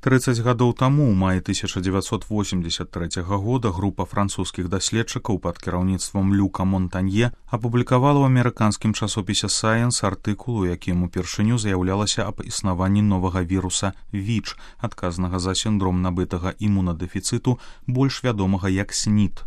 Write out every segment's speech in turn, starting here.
30 гадоў таму, у маі 1983 года, група французскіх даследчыкаў пад кіраўніцтвам Люка Монтанье апублікавала ў амерыканскім часопісе Science артыкул, у якім упершыню заяўлялася аб існаванні новага віруса ВІЧ, адказнага за сіндром набытага імунадэфіцыту, больш вядомага як СНІД.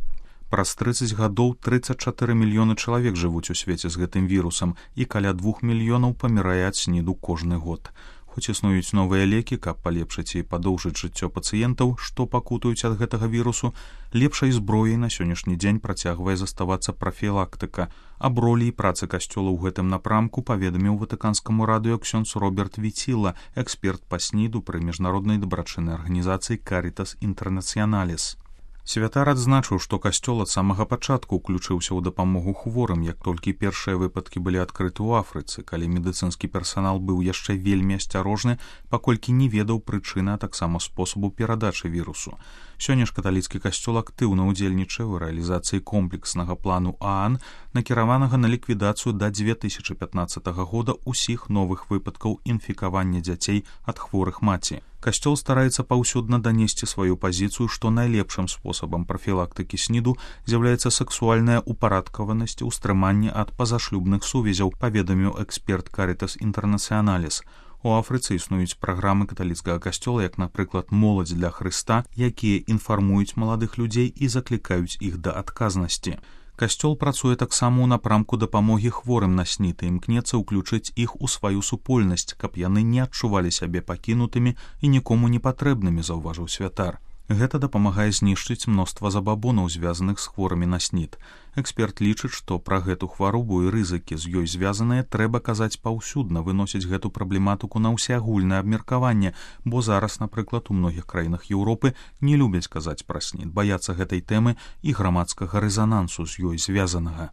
Праз 30 гадоў 34 мільёны чалавек жывуць у свеце з гэтым вірусам, і каля 2 мільёнаў памірае ад СНІДу кожны год. Хоць існуюць новыя лекі, каб палепшыць і падоўжыць жыццё пацыентаў, што пакутаюць ад гэтага вірусу, лепшай зброяй на сённяшні дзень працягвае заставацца прафілактыка. Аб ролі і працы касцёла ў гэтым напрамку паведаміў ватыканскаму радыё ксёндз Роберт Віціла, эксперт па СНІДу пры міжнароднай дабрачыннай арганізацыі Caritas Internationalis. Святар адзначыў, што касцёл ад самага пачатку ўключыўся ў дапамогу хворым, як толькі першыя выпадкі былі адкрыты ў Афрыцы, калі медыцынскі персанал быў яшчэ вельмі асцярожны, паколькі не ведаў прычыны, а таксама спосабу перадачы вірусу. Сёння ж каталіцкі касцёл актыўна ўдзельнічае ў рэалізацыі комплекснага плану ААН, накіраванага на ліквідацыю да 2015 года ўсіх новых выпадкаў інфікавання дзяцей ад хворых маці. Касцёл стараецца паўсюдна данесці сваю пазіцыю, што найлепшым спосабам прафілактыкі СНІДу з'яўляецца сексуальная упарадкаванасць, устрыманне ад пазашлюбных сувязяў, паведаміў эксперт Caritas Internationalis. У Афрыцы існуюць праграмы каталіцкага касцёла, як, напрыклад, моладзь для Хрыста, якія інфармуюць маладых людзей і заклікаюць іх да адказнасці. Касцёл працуе таксама ў напрамку дапамогі хворым на СНІД і імкнецца ўключыць іх у сваю супольнасць, каб яны не адчувалі сябе пакінутымі і нікому не патрэбнымі, заўважыў святар. Гэта дапамагае знішчыць мноства забабонаў, звязаных з хворымі на СНІД. Эксперт лічыць, што пра гэту хваробу і рызыкі з ёй звязаныя трэба казаць паўсюдна, выносіць гэту праблематыку на ўсеагульнае абмеркаванне, бо зараз, напрыклад, у многіх краінах Еўропы не любяць казаць пра СНІД, баяцца гэтай тэмы і грамадскага рэзанансу з ёй звязанага.